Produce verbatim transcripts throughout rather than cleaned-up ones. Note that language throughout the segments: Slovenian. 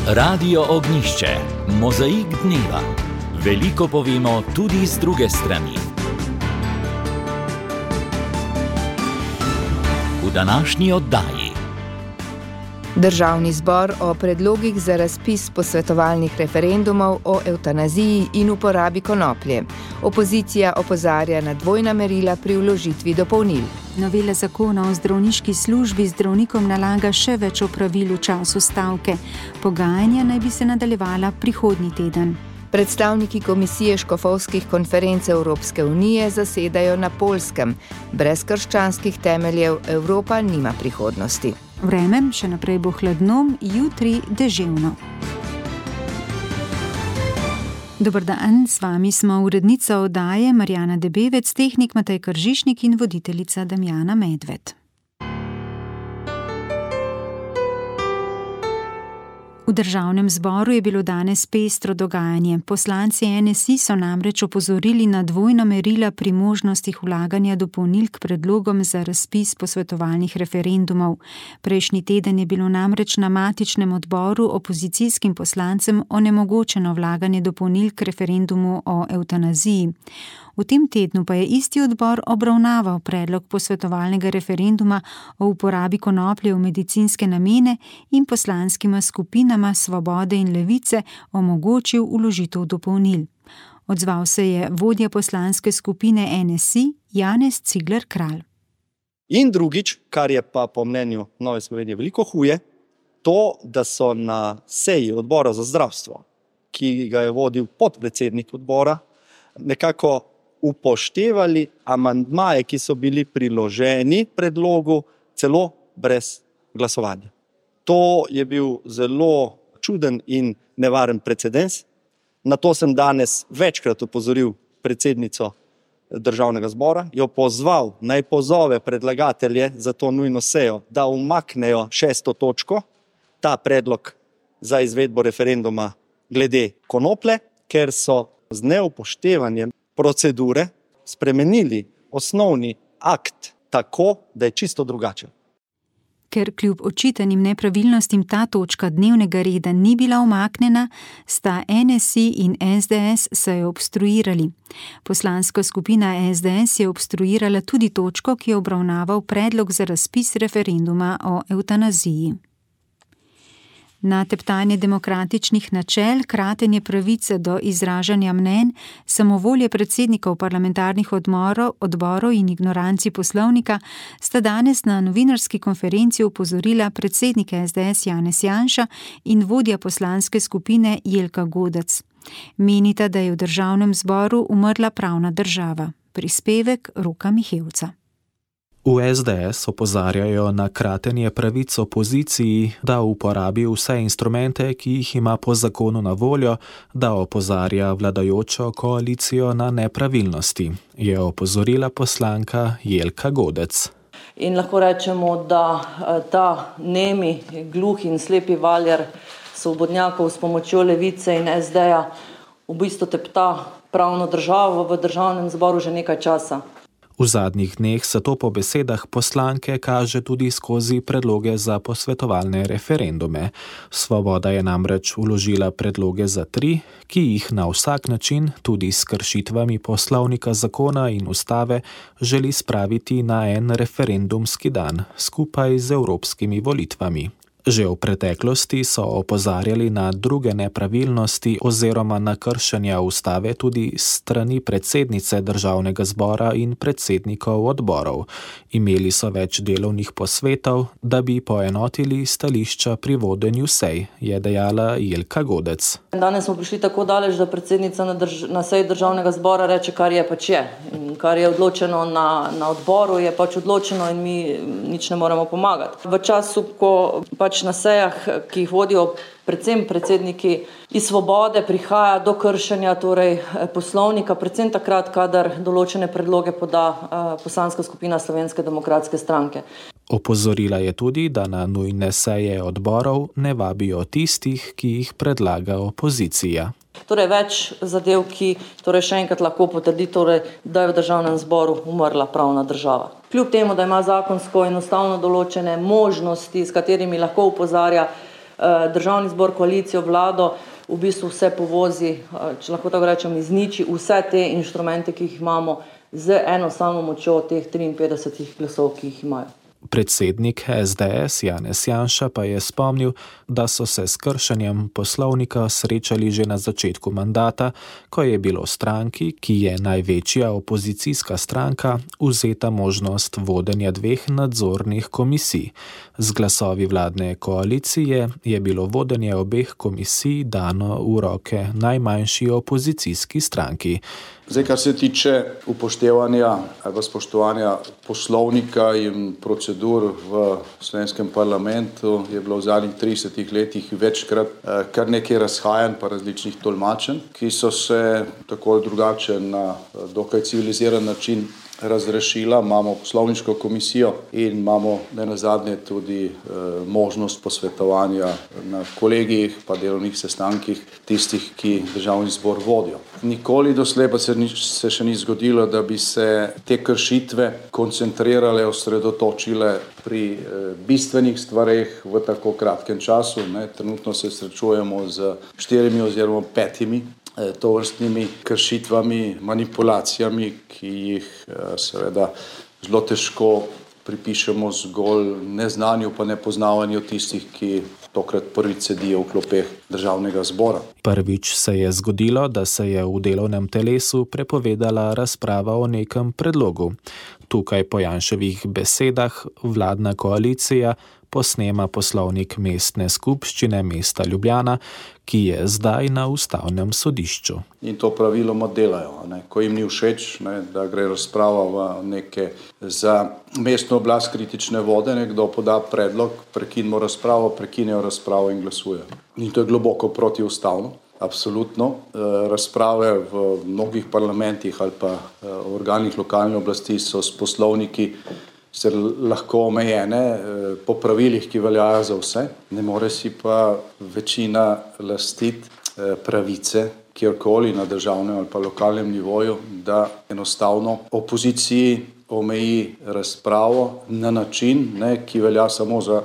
Radio Ognjišče, mozaik dneva. Veliko povemo tudi z druge strani. V današnji oddaji. Državni zbor o predlogih za razpis posvetovalnih referendumov o evtanaziji in uporabi konoplje. Opozicija opozarja na dvojna merila pri vložitvi dopolnil. Novela zakona o zdravniški službi zdravnikom nalaga še več opravil v času stavke. Pogajanja naj bi se nadaljevala prihodnji teden. Predstavniki Komisije škofovskih konferenc Evropske unije zasedajo na Poljskem. Brez krščanskih temeljev Evropa nima prihodnosti. Vreme še naprej bo hladno, jutri deževno. Dober dan, s vami smo urednica oddaje Marjana Debevec, tehnik Matej Kržišnik in voditeljica Damjana Medved. V Državnem zboru je bilo danes pestro dogajanje. Poslanci N S I so namreč opozorili na dvojna merila pri možnostih vlaganja dopolnil k predlogom za razpis posvetovalnih referendumov. Prejšnji teden je bilo namreč na matičnem odboru opozicijskim poslancem onemogočeno vlaganje dopolnil k referendumu o evtanaziji. V tem tednu pa je isti odbor obravnaval predlog posvetovalnega referenduma o uporabi konoplje v medicinske namene in poslanskima skupinama Svobode in Levice omogočil vložitev dopolnil. Odzval se je vodja poslanske skupine N S I Janez Cigler Kralj. In drugič, kar je pa po mnenju Nove Slovenije veliko huje, to, da so na seji odbora za zdravstvo, ki ga je vodil podpredsednik odbora, nekako upoštevali amandmaje, ki so bili priloženi predlogu, celo brez glasovanja. To je bil zelo čuden in nevaren precedens. Na to sem danes večkrat opozoril predsednico Državnega zbora, jo pozval, naj pozove predlagatelje za to nujno sejo, da umaknejo šesto točko, ta predlog za izvedbo referenduma glede konoplje, ker so z neupoštevanjem procedure spremenili osnovni akt tako, da je čisto drugačen. Ker kljub očitanim nepravilnostim ta točka dnevnega reda ni bila umaknjena, sta N S I in S D S sejo obstruirali. Poslanska skupina S D S je obstruirala tudi točko, ki je obravnaval predlog za razpis referenduma o evtanaziji. Na teptanje demokratičnih načel, kratenje pravice do izražanja mnenj, samovolje predsednikov parlamentarnih odmorov, odborov in ignoranci poslovnika sta danes na novinarski konferenci opozorila predsednik S D S Janez Janša in vodja poslanske skupine Jelka Godec. Menita, da je v Državnem zboru umrla pravna država. Prispevek Roka Mihevca. V S D S opozarjajo na kratenje pravic opoziciji, da uporabi vse instrumente, ki jih ima po zakonu na voljo, da opozarja vladajočo koalicijo na nepravilnosti, je opozorila poslanka Jelka Godec. In lahko rečemo, da ta nemi, gluhi in slepi valjar svobodnjakov s pomočjo Levice in S D-ja v bistvu tepta pravno državo v Državnem zboru že nekaj časa. V zadnjih dneh se to po besedah poslanke kaže tudi skozi predloge za posvetovalne referendume. Svoboda je namreč vložila predloge za tri, ki jih na vsak način, tudi s kršitvami poslovnika, zakona in ustave, želi spraviti na en referendumski dan, skupaj z evropskimi volitvami. Že v preteklosti so opozarjali na druge nepravilnosti oziroma na kršenja ustave tudi strani predsednice Državnega zbora in predsednikov odborov. Imeli so več delovnih posvetov, da bi poenotili stališča pri vodenju sej, je dejala Jelka Godec. Danes smo prišli tako daleč, da predsednica na, drž- na seji Državnega zbora reče, kar je pač je. In kar je odločeno na, na odboru, je pač odločeno in mi nič ne moremo pomagati. V času, ko pač na sejah, ki jih vodijo predvsem predsedniki iz Svobode, prihaja do kršenja torej poslovnika, predvsem takrat, kadar določene predloge poda poslanska skupina Slovenske demokratske stranke. Opozorila je tudi, da na nujne seje odborov ne vabijo tistih, ki jih predlaga opozicija. Torej več zadev, ki torej še enkrat lahko potrdi, torej, da je v Državnem zboru umrla pravna država. Kljub temu, da ima zakonsko in ustavno določene možnosti, s katerimi lahko opozarja državni zbor, koalicijo, vlado v bistvu vse povozi, če lahko tako rečem, izniči vse te inštrumente, ki jih imamo, z eno samo močjo teh triinpetdesetih glasov, ki jih imajo. Predsednik S D S Janez Janša pa je spomnil, da so se s kršenjem poslovnika srečali že na začetku mandata, ko je bilo stranki, ki je največja opozicijska stranka, vzeta možnost vodenja dveh nadzornih komisij. Z glasovi vladne koalicije je bilo vodenje obeh komisij dano v roke najmanjši opozicijski stranki. Zdaj, kar se tiče upoštevanja ali spoštovanja poslovnika in procedur v slovenskem parlamentu, je bilo v zadnjih tridesetih letih večkrat kar nekaj razhajanj pa različnih tolmačenj, ki so se tako ali drugače na dokaj civiliziran način razrešila. Imamo poslovniško komisijo in imamo nenazadnje tudi e, možnost posvetovanja na kolegijih pa delovnih sestankih tistih, ki državni zbor vodijo. Nikoli doslej pa se, ni, se še ni zgodilo, da bi se te kršitve koncentrirale, osredotočile pri e, bistvenih stvareh v tako kratkem času. Ne. Trenutno se srečujemo z štirimi oziroma petimi tovrstnimi kršitvami, manipulacijami, ki jih seveda zelo težko pripišemo zgolj neznanju pa nepoznavanju tistih, ki tokrat prvič sedijo v klopeh državnega zbora. Prvič se je zgodilo, da se je v delovnem telesu prepovedala razprava o nekem predlogu. Tukaj po Janševih besedah vladna koalicija posnema poslovnik mestne skupščine mesta Ljubljana, ki je zdaj na ustavnem sodišču. In to praviloma delajo. Ne? Ko jim ni všeč, ne, da gre razprava v neke za mestno oblast kritične vode, nekdo poda predlog, prekinimo razpravo, prekinejo razpravo in glasujejo. In to je globoko protiustavno. Absolutno. Razprave v mnogih parlamentih ali pa organih lokalne oblasti so s poslovniki se lahko omejene po pravilih, ki veljajo za vse. Ne more si pa večina lastiti pravice kjerkoli na državnem ali pa lokalnem nivoju, da enostavno opoziciji omeji razpravo na način, ne, ki velja samo za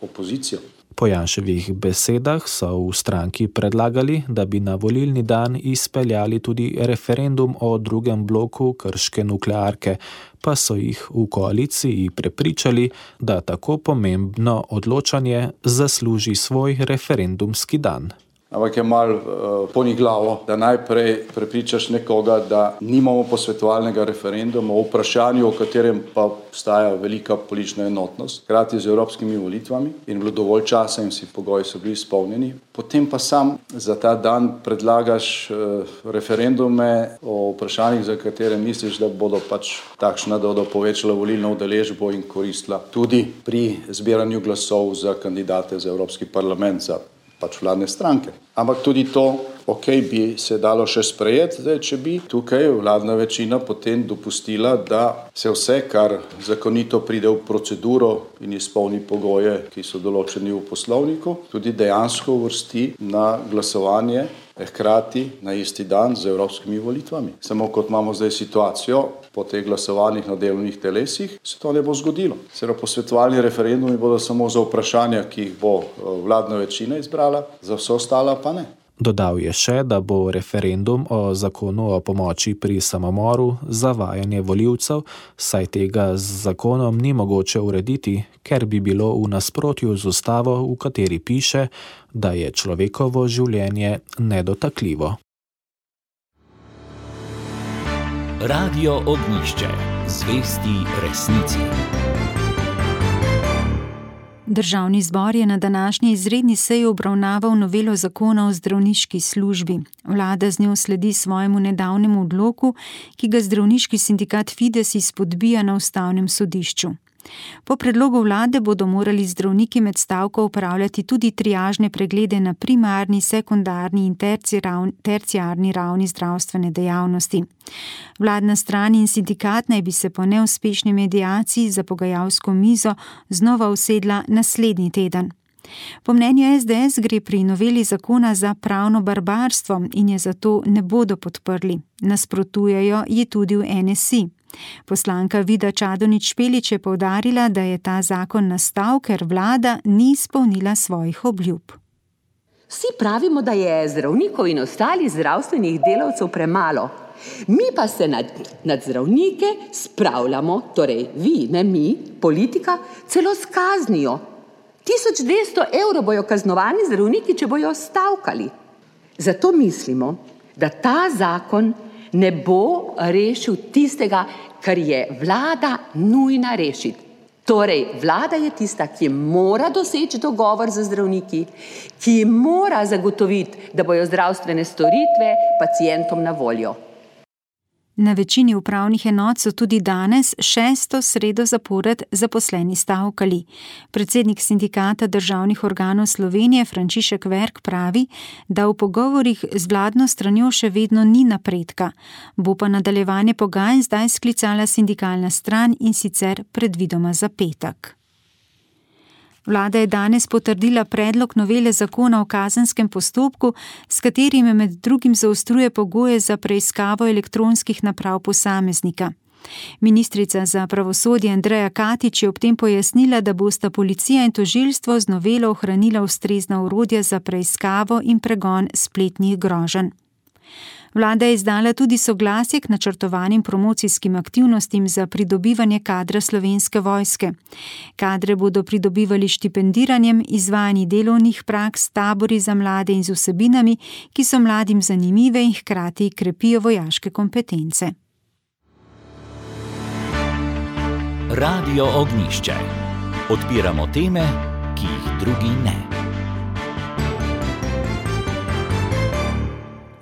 opozicijo. Po Janševih besedah so v stranki predlagali, da bi na volilni dan izpeljali tudi referendum o drugem bloku krške nuklearke, pa so jih v koaliciji prepričali, da tako pomembno odločanje zasluži svoj referendumski dan. Ampak je malo uh, poniglavo, da najprej prepričaš nekoga, da nimamo posvetovalnega referenduma o vprašanju, o katerem pa obstaja velika politična enotnost, hkrati z evropskimi volitvami in bilo dovolj časa in vsi pogoji so bili izpolnjeni. Potem pa sam za ta dan predlagaš uh, referendume o vprašanjih, za katere misliš, da bodo pač takšna, da bodo povečala volilno udeležbo in koristila tudi pri zbiranju glasov za kandidate za Evropski parlament, za pač vladne stranke. Ampak tudi to, ok, bi se dalo še sprejeti, zdaj, če bi tukaj vladna večina potem dopustila, da se vse, kar zakonito pride v proceduro in izpolni pogoje, ki so določeni v poslovniku, tudi dejansko uvrsti na glasovanje hkrati na isti dan z evropskimi volitvami. Samo kot imamo zdaj situacijo, po teh glasovanjih na delovnih telesih, se to ne bo zgodilo. Seveda posvetovalni referendumi bodo samo za vprašanja, ki jih bo vladna večina izbrala, za vse ostala pa ne. Dodal je še, da bo referendum o zakonu o pomoči pri samomoru zavajanje volivcev, saj tega z zakonom ni mogoče urediti, ker bi bilo v nasprotju z ustavo, v kateri piše, da je človekovo življenje nedotakljivo. Radio Ognjišče. Zvesti resnici. Državni zbor je na današnji izredni seji obravnaval novelo zakona o zdravniški službi. Vlada z njo sledi svojemu nedavnemu odloku, ki ga zdravniški sindikat Fides izpodbija na ustavnem sodišču. Po predlogu vlade bodo morali zdravniki med stavko upravljati tudi triažne preglede na primarni, sekundarni in terciarni ravni zdravstvene dejavnosti. Vladna stran in sindikat naj bi se po neuspešni mediaciji za pogajalsko mizo znova usedla naslednji teden. Po mnenju S D S gre pri noveli zakona za pravno barbarstvo in je zato ne bodo podprli. Nasprotujejo ji tudi v N S I. Poslanka Vida Čadonič Špelič je poudarila, da je ta zakon nastal, ker vlada ni izpolnila svojih obljub. Vsi pravimo, da je zdravnikov in ostalih zdravstvenih delavcev premalo. Mi pa se nad, nad zdravnike spravljamo, torej vi, ne mi, politika, celo s kaznijo. tisoč dvesto evrov bojo kaznovani zdravniki, če bojo stavkali. Zato mislimo, da ta zakon ne bo rešil tistega, kar je vlada nujna rešiti. Torej, vlada je tista, ki mora doseči dogovor z zdravniki, ki mora zagotoviti, da bojo zdravstvene storitve pacientom na voljo. Na večini upravnih enot so tudi danes šesto sredo zapored zaposleni stavkali. Predsednik sindikata državnih organov Slovenije Frančišek Verk pravi, da v pogovorih z vladno stranjo še vedno ni napredka. Bo pa nadaljevanje pogajanj zdaj sklicala sindikalna stran in sicer predvidoma za petek. Vlada je danes potrdila predlog novele zakona o kazenskem postopku, s katerim med drugim zaostruje pogoje za preiskavo elektronskih naprav posameznika. Ministrica za pravosodje Andreja Katič je ob tem pojasnila, da bosta policija in tožilstvo z novelo ohranila ustrezna orodja za preiskavo in pregon spletnih groženj. Vlada je izdala tudi soglasje k načrtovanim promocijskim aktivnostim za pridobivanje kadra Slovenske vojske. Kadre bodo pridobivali štipendiranjem, izvajanji delovnih praks, tabori za mlade in z vsebinami, ki so mladim zanimive in hkrati krepijo vojaške kompetence. Radio Ognjišče. Odpiramo teme, ki jih drugi ne.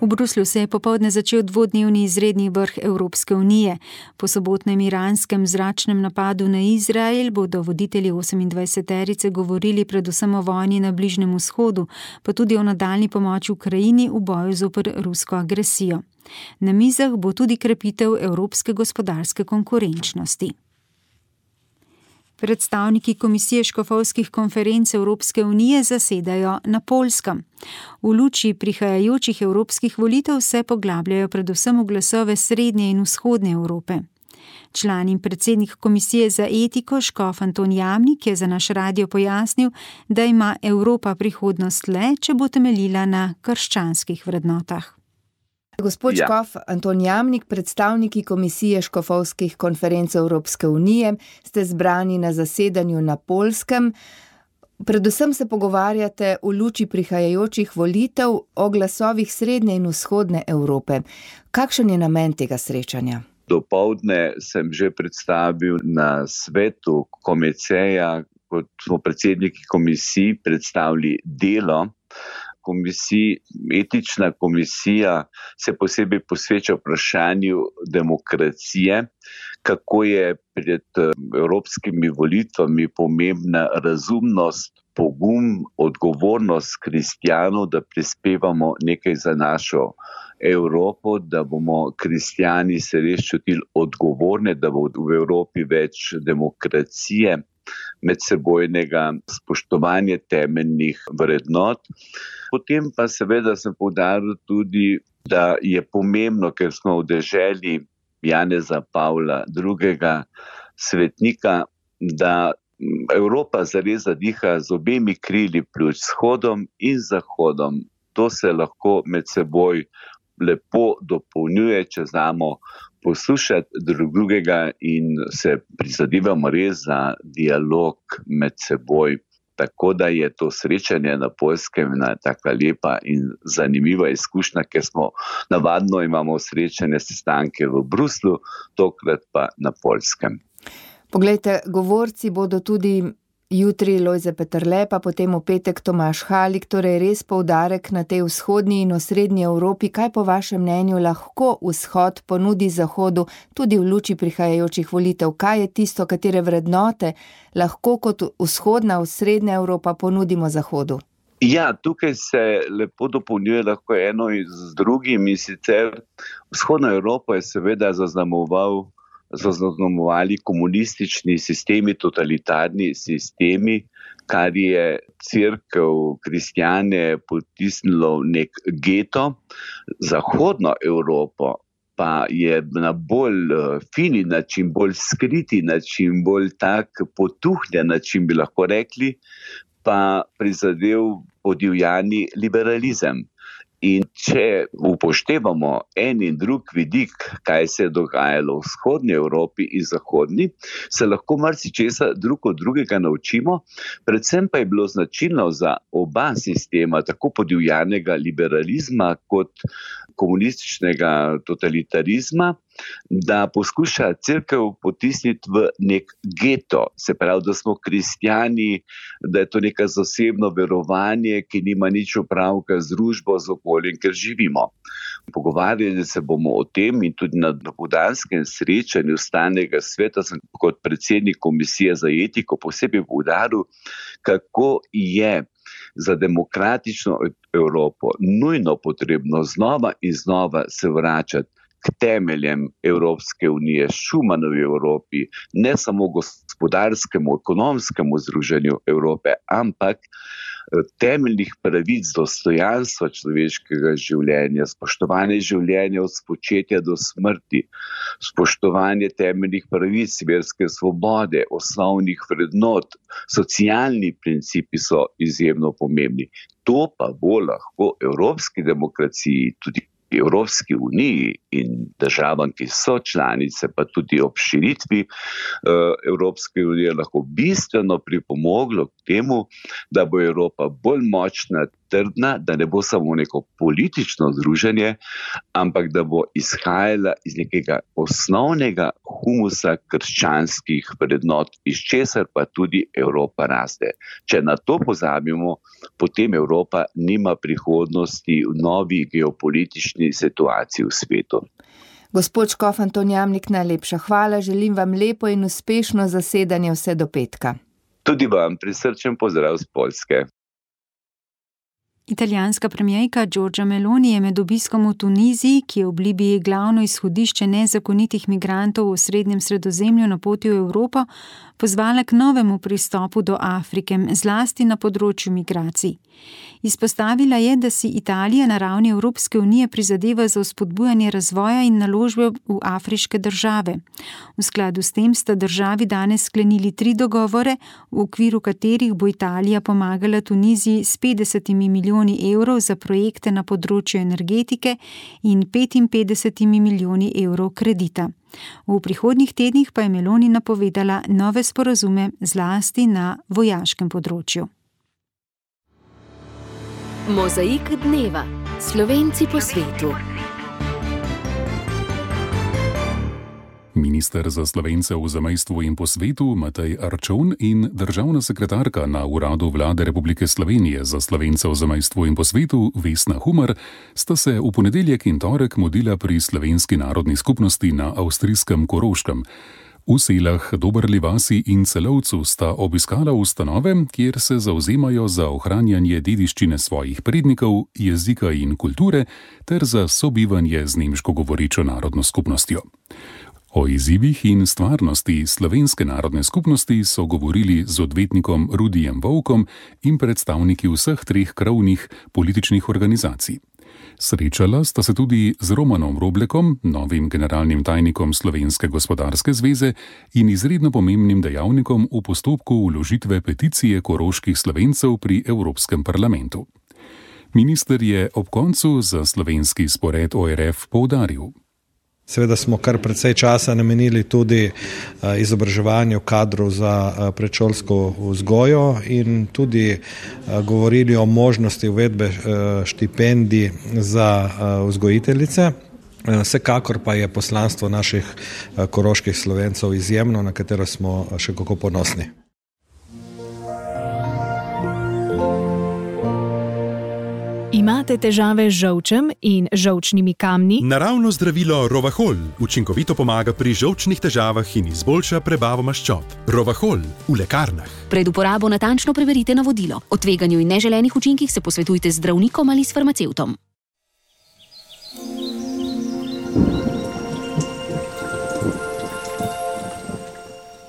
V Bruslju se je popoldne začel dvodnevni izredni vrh Evropske unije. Po sobotnem iranskem zračnem napadu na Izrael bodo voditelji osemindvajseterice govorili predvsem o vojni na Bližnjem vzhodu, pa tudi o nadaljnji pomoči Ukrajini v boju zoper rusko agresijo. Na mizah bo tudi krepitev evropske gospodarske konkurenčnosti. Predstavniki Komisije škofovskih konferenc Evropske unije zasedajo na Poljskem. V luči prihajajočih evropskih volitev se poglabljajo predvsem v glasove srednje in vzhodne Evrope. Član in predsednik Komisije za etiko škof Anton Jamnik je za naš radio pojasnil, da ima Evropa prihodnost le, če bo temeljila na krščanskih vrednotah. Gospod škof Anton Jamnik, predstavniki Komisije škofovskih konferenc Evropske unije, ste zbrani na zasedanju na Poljskem. Predvsem se pogovarjate v luči prihajajočih volitev o glasovih srednje in vzhodne Evrope. Kakšen je namen tega srečanja? Dopoldne sem že predstavil na svetu Komeceja, kot smo predsedniki komisij predstavili delo komisij. Etična komisija se posebej posveča vprašanju demokracije, kako je pred evropskimi volitvami pomembna razumnost, pogum, odgovornost kristjanov, da prispevamo nekaj za našo Evropo, da bomo kristjani se res čutili odgovorne, da bo v Evropi več demokracije, medsebojnega spoštovanja temeljnih vrednot. Potem pa seveda sem poudaril tudi, da je pomembno, ker smo v deželi Janeza Pavla drugega. svetnika, da Evropa zares zadiha z obemi krili pred vzhodom in zahodom. To se lahko med seboj lepo dopolnjuje, če znamo poslušati drug drugega in se prizadevamo res za dialog med seboj. Tako da je to srečanje na Poljskem ena taka lepa in zanimiva izkušnja, ker smo navadno imamo srečanje sestanke v Bruslju, tokrat pa na Poljskem. Poglejte, govorci bodo tudi jutri Lojze Peterle, pa potem v petek Tomaž Halik, torej res poudarek na tej vzhodni in osrednji Evropi. Kaj po vašem mnenju lahko vzhod ponudi zahodu tudi v luči prihajajočih volitev? Kaj je tisto, katere vrednote lahko kot vzhodna, osrednja Evropa ponudimo zahodu? Ja, tukaj se lepo dopolnjuje lahko eno z drugim, in sicer vzhodna Evropa je seveda zaznamoval zaznamovali komunistični sistemi, totalitarni sistemi, kar je cerkev, kristjane potisnilo nek geto. Zahodno Evropo pa je na bolj fini način, bolj skriti način, bolj tak potuhnjen način, bi lahko rekli, pa prizadev podivjani liberalizem. In če upoštevamo en in drug vidik, kaj se je dogajalo v vzhodni Evropi in zahodni, se lahko marsičesa drug od drugega naučimo, predvsem pa je bilo značilno za oba sistema, tako podivjanega liberalizma kot komunističnega totalitarizma, da poskuša cerkev potisniti v nek geto, se pravi, da smo kristjani, da je to neka zasebno verovanje, ki nima nič opravka z družbo, z okoljem, ker živimo. Pogovarjali se bomo o tem in tudi na dopoldanskem srečanju Stalnega sveta sem kot predsednik komisije za etiko posebej poudaril, kako je za demokratično Evropo nujno potrebno znova in znova se vračati k temeljem Evropske unije, Schumanovi Evropi, ne samo gospodarskemu, ekonomskemu združenju Evrope, ampak temeljnih pravic, dostojanstva človeškega življenja, spoštovanje življenja od spočetja do smrti, spoštovanje temeljnih pravic, verske svobode, osnovnih vrednot, socialni principi so izjemno pomembni. To pa bo lahko evropski demokraciji, tudi Evropski uniji in državam, ki so članice, pa tudi ob širitvi Evropske unije lahko bistveno pripomoglo k temu, da bo Evropa bolj močna, trdna, da ne bo samo neko politično združenje, ampak da bo izhajala iz nekega osnovnega humusa krščanskih vrednot, iz česar pa tudi Evropa raste. Če na to pozabimo, potem Evropa nima prihodnosti v novi geopolitični situaciji v svetu. Gospod škof Anton Jamnik, najlepša hvala, želim vam lepo in uspešno zasedanje vse do petka. Tudi vam prisrčen pozdrav z Poljske. Italijanska premijerka Giorgia Meloni je med obiskom v Tuniziji, ki je v Libiji glavno izhodišče nezakonitih migrantov v srednjem Sredozemlju na poti v Evropo, pozvala k novemu pristopu do Afrike, zlasti na področju migracij. Izpostavila je, da si Italija na ravni Evropske unije prizadeva za vzpodbujanje razvoja in naložbe v afriške države. V skladu s tem sta državi danes sklenili tri dogovore, v okviru katerih bo Italija pomagala Tuniziji s petdesetimi milijoni evrov za projekte na področju energetike in petinpetdesetimi milijoni evrov kredita. V prihodnjih tednih pa je Meloni napovedala nove sporazume zlasti na vojaškem področju. Mozaik dneva. Slovenci po svetu. Minister za Slovence v zamejstvu in po svetu Matej Arčon in državna sekretarka na Uradu Vlade Republike Slovenije za Slovence v zamejstvu in po svetu Vesna Humar sta se v ponedeljek in torek mudila pri slovenski narodni skupnosti na avstrijskem Koroškem. V selah Dobrli vasi in Celovcu sta obiskala ustanove, kjer se zavzemajo za ohranjanje dediščine svojih prednikov, jezika in kulture ter za sobivanje z nemško govorečo narodno skupnostjo. O izzivih in stvarnosti slovenske narodne skupnosti so govorili z odvetnikom Rudijem Volkom in predstavniki vseh treh krovnih političnih organizacij. Srečala sta se tudi z Romanom Roblekom, novim generalnim tajnikom Slovenske gospodarske zveze in izredno pomembnim dejavnikom v postopku vložitve peticije koroških Slovencev pri Evropskem parlamentu. Minister je ob koncu za slovenski spored O R F poudaril. Seveda smo kar precej časa namenili tudi izobraževanju kadrov za predšolsko vzgojo in tudi govorili o možnosti uvedbe štipendij za vzgojiteljice. Vsekakor pa je poslanstvo naših koroških Slovencev izjemno, na katero smo še kako ponosni. Imate težave z žolčem in žolčnimi kamni? Naravno zdravilo Rovahol učinkovito pomaga pri žolčnih težavah in izboljša prebavo maščob. Rovahol v lekarnah. Pred uporabo natančno preverite navodilo. O tveganju in neželenih učinkih se posvetujte z zdravnikom ali s farmacevtom.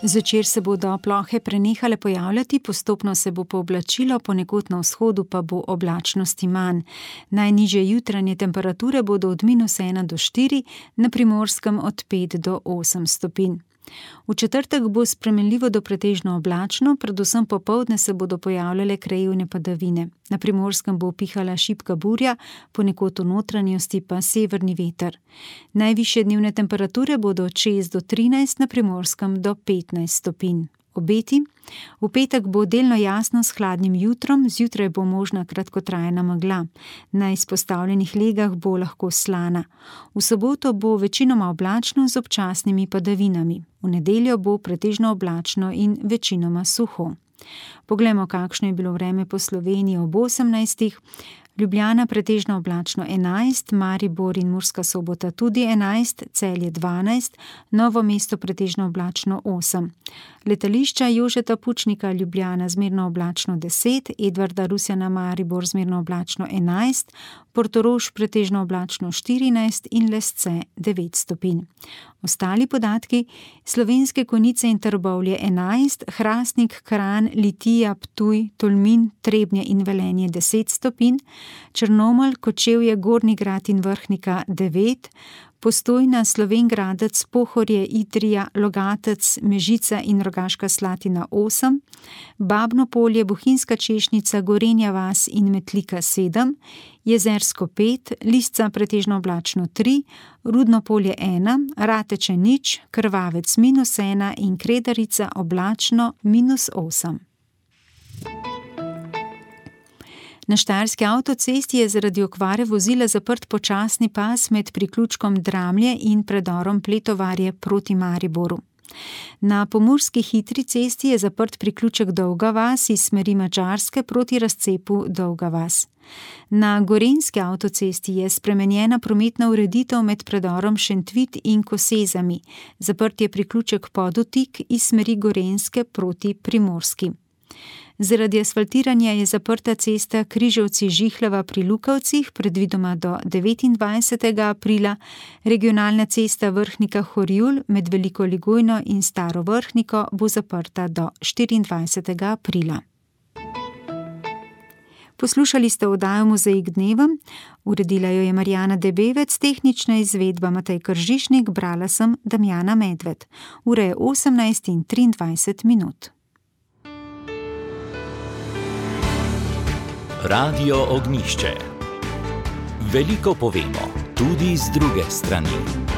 Zvečer se bodo plohe prenehale pojavljati, postopno se bo pooblačilo, ponekod na vzhodu pa bo oblačnosti manj. Najnižje jutranje temperature bodo od minus ena do štiri, na Primorskem od pet do osem stopinj. V četrtek bo spremenljivo do pretežno oblačno, predvsem popoldne se bodo pojavljale krajevne padavine. Na Primorskem bo pihala šibka burja, ponekod v notranjosti pa severni veter. Najvišje dnevne temperature bodo od šest do trinajst, na Primorskem do petnajst stopinj. Obeti. V petek bo delno jasno s hladnim jutrom, zjutraj bo možna kratkotrajna megla. Na izpostavljenih legah bo lahko slana. V soboto bo večinoma oblačno z občasnimi padavinami. V nedeljo bo pretežno oblačno in večinoma suho. Poglejmo, kakšno je bilo vreme po Sloveniji ob osemnajstih. Ljubljana pretežno oblačno enajst, Maribor in Murska Sobota tudi enajst, Celje dvanajst, Novo mesto pretežno oblačno osem. Letališča Jožeta Pučnika Ljubljana zmerno oblačno deset, Edvarda Rusjana Maribor zmerno oblačno enajst, Portorož pretežno oblačno štirinajst in Lesce devet stopinj. Ostali podatki: Slovenske Konjice in Trbovlje enajst, Hrastnik, Kranj, Litija, Ptuj, Tolmin, Trebnje in Velenje deset stopinj, Črnomelj, Kočevje, Gornji Grad in Vrhnika devet, Postojna, Slovenj Gradec, Pohorje, Idrija, Logatec, Mežica in Rogaška Slatina osem, Babno Polje, Bohinjska Češnjica, Gorenja vas in Metlika sedem, Jezersko pet, Lisca pretežno oblačno tri, Rudno Polje ena, Rateče nič, Krvavec minus ena in Kredarica oblačno minus osem. Na štajerski avtocesti je zaradi okvare vozila zaprt počasni pas med priključkom Dramlje in predorom Pletovarje proti Mariboru. Na pomurski hitri cesti je zaprt priključek Dolga vas iz smeri Madžarske proti razcepu Dolga vas. Na gorenjski avtocesti je spremenjena prometna ureditev med predorom Šentvit in Kosezami. Zaprt je priključek Podotik iz smeri Gorenjske proti Primorski. Zaradi asfaltiranja je zaprta cesta Križevci-Žihleva pri Lukavcih, predvidoma do devetindvajsetega aprila, regionalna cesta Vrhnika-Horjul med Veliko Ligojno in Staro Vrhniko bo zaprta do štiriindvajsetega aprila. Poslušali ste oddajo Mozaik dneva, uredila jo je Marjana Debevec, tehnična izvedba Matej Kržišnik, brala sem Damjana Medved. Ura je osemnajst in triindvajset minut. Radio Ognjišče. Veliko povemo, tudi z druge strani.